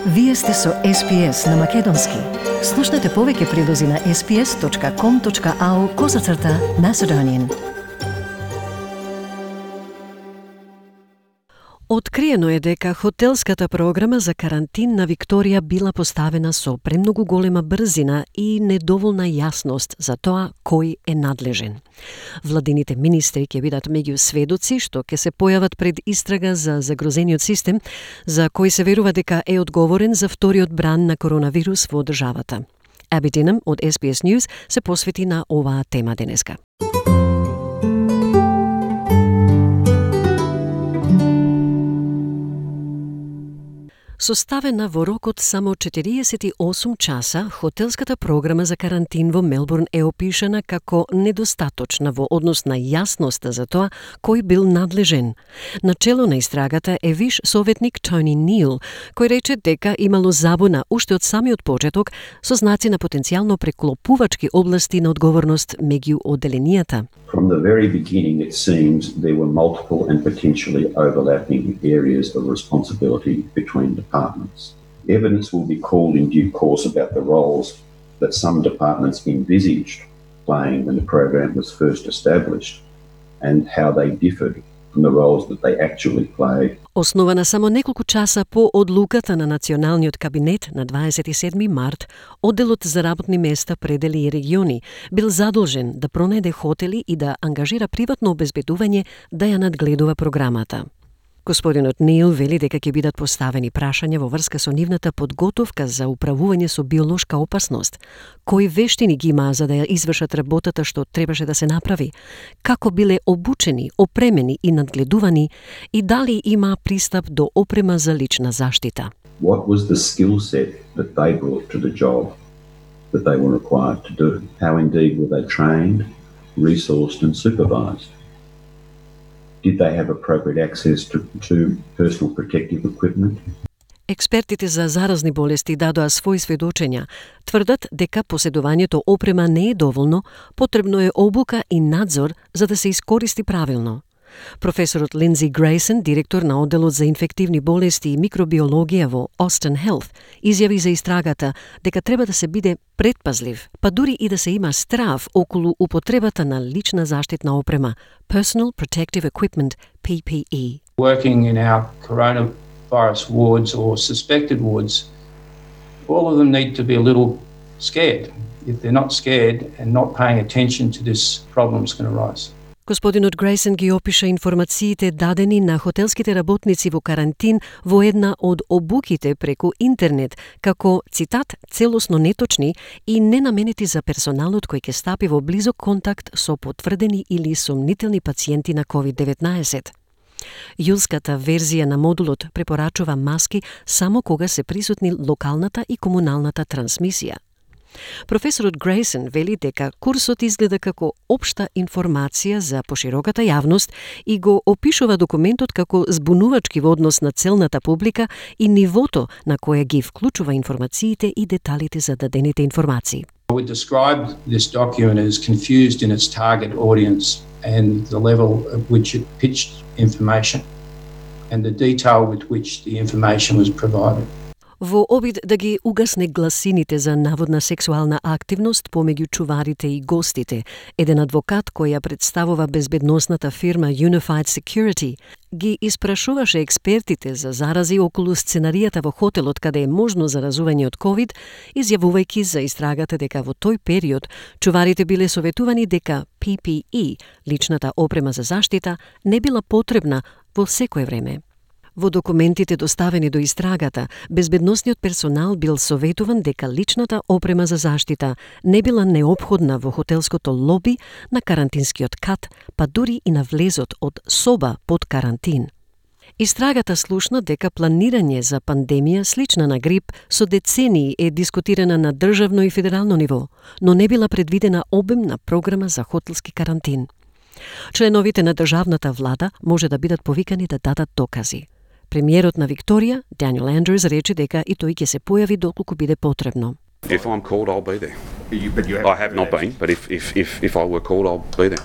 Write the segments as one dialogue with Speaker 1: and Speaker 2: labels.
Speaker 1: Вие сте со SPS на Македонски. Слушнете повеќе прилози на sps.com.au/Macedonian. Откриено е дека хотелската програма за карантин на Викторија била поставена со премногу голема брзина и недоволна јасност за тоа кој е надлежен. Владините министри ќе бидат меѓу сведоци што ќе се појават пред истрага за загрозениот систем, за кој се верува дека е одговорен за вториот бран на коронавирус во државата. Аби Динам од SBS News се посвети на оваа тема денеска. Составена во рокот само 48 часа, хотелската програма за карантин во Мелбурн е опишана како недостаточна во однос на јасноста за тоа кој бил надлежен. Начело на истрагата е виш советник Тони Нил, кој рече дека имало забуна уште од самиот почеток со знаци на потенцијално преклопувачки области на одговорност меѓу одделенијата.
Speaker 2: From the very beginning, it seems there were multiple and potentially overlapping areas of responsibility between departments. Evidence will be called in due course about the roles that some departments envisaged playing when the program was first established and how they differed from the roles that they actually played.
Speaker 1: Основана само неколку часа по одлуката на Националниот кабинет на 27 март, Одделот за работни места, предели и региони бил задолжен да пронајде хотели и да ангажира приватно обезбедување да ја надгледува програмата. Господинот Нил вели дека ќе бидат поставени прашања во врска со нивната подготовка за управување со биолошка опасност. Кои вештини ги имаа за да ја извршат работата што требаше да се направи? Како биле обучени, опремени и надгледувани и дали имаа пристап до опрема за лична заштита?
Speaker 2: What was the skill set that they brought to the job that they were required to do? How indeed were they trained, resourced and supervised? Did they have appropriate access to personal protective equipment?
Speaker 1: Експертите за заразни болести дадоа своји сведочења. Тврдат дека поседувањето опрема не е доволно, потребно е обука и надзор за да се искористи правилно. Професорот Линдзи Грейсон, директор на Одделот за инфективни болести и микробиологија во Austin Health, изјави за истрагата дека треба да се биде предпазлив, па дури и да се има страв околу употребата на лична заштитна опрема, Personal Protective Equipment, PPE.
Speaker 3: Working in our coronavirus wards or suspected wards, all of them need to be a little scared. If they're not scared and not paying attention to this, problem's going to rise.
Speaker 1: Господинот Грейсон ги опиша информациите дадени на хотелските работници во карантин во една од обуките преку интернет, како, цитат, целосно неточни и ненаменети за персоналот кој ќе стапи во близок контакт со потврдени или сомнителни пациенти на COVID-19. Јулската верзија на модулот препорачува маски само кога се присутни локалната и комуналната трансмисија. Професорот Грейсон вели дека курсот изгледа како општа информација за пошироката јавност и го опишува документот како збунувачки во однос на целната публика и нивото на кое ги вклучува информациите и деталите за дадените информации.
Speaker 3: I would describe this document as confused in its target audience and the level at which it pitched information and the detail with which the information was provided.
Speaker 1: Во обид да ги угасне гласините за наводна сексуална активност помеѓу чуварите и гостите, еден адвокат кој ја представува безбедносната фирма Unified Security ги испрашуваше експертите за зарази околу сценаријата во хотелот каде е можно заразување од COVID, изјавувајќи за истрагата дека во тој период чуварите биле советувани дека PPE, личната опрема за заштита, не била потребна во секое време. Во документите доставени до истрагата, безбедносниот персонал бил советуван дека личната опрема за заштита не била неопходна во хотелското лоби, на карантинскиот кат, па дури и на влезот од соба под карантин. Истрагата слушна дека планирање за пандемија слична на грип со децении е дискутирана на државно и федерално ниво, но не била предвидена обемна програма за хотелски карантин. Членовите на државната влада може да бидат повикани да дадат докази. Премиерот на Викторија, Даниел Андрюс, рече дека и тој ќе се појави доколку биде потребно.
Speaker 4: If I'm called, I'll be there. I have not been, but if I were called, I'll be there.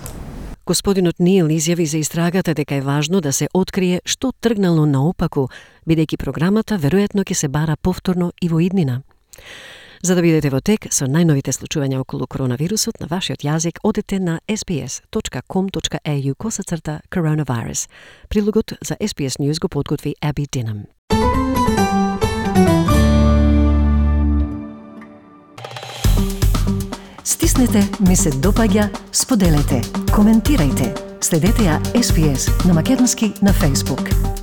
Speaker 1: Господинот Нил изјави за истрагата дека е важно да се открие што тргнало наопаку, бидејќи програмата веројатно ќе се бара повторно и во иднина. За да бидете во тек со најновите случувања околу коронавирусот на вашиот јазик, одете на sbs.com.au/coronavirus. Прилогот за SBS News го подготви Аби Динам.
Speaker 4: Стиснете, ми се допаѓа, споделете, коментирајте. Следете ја SBS на македонски на Facebook.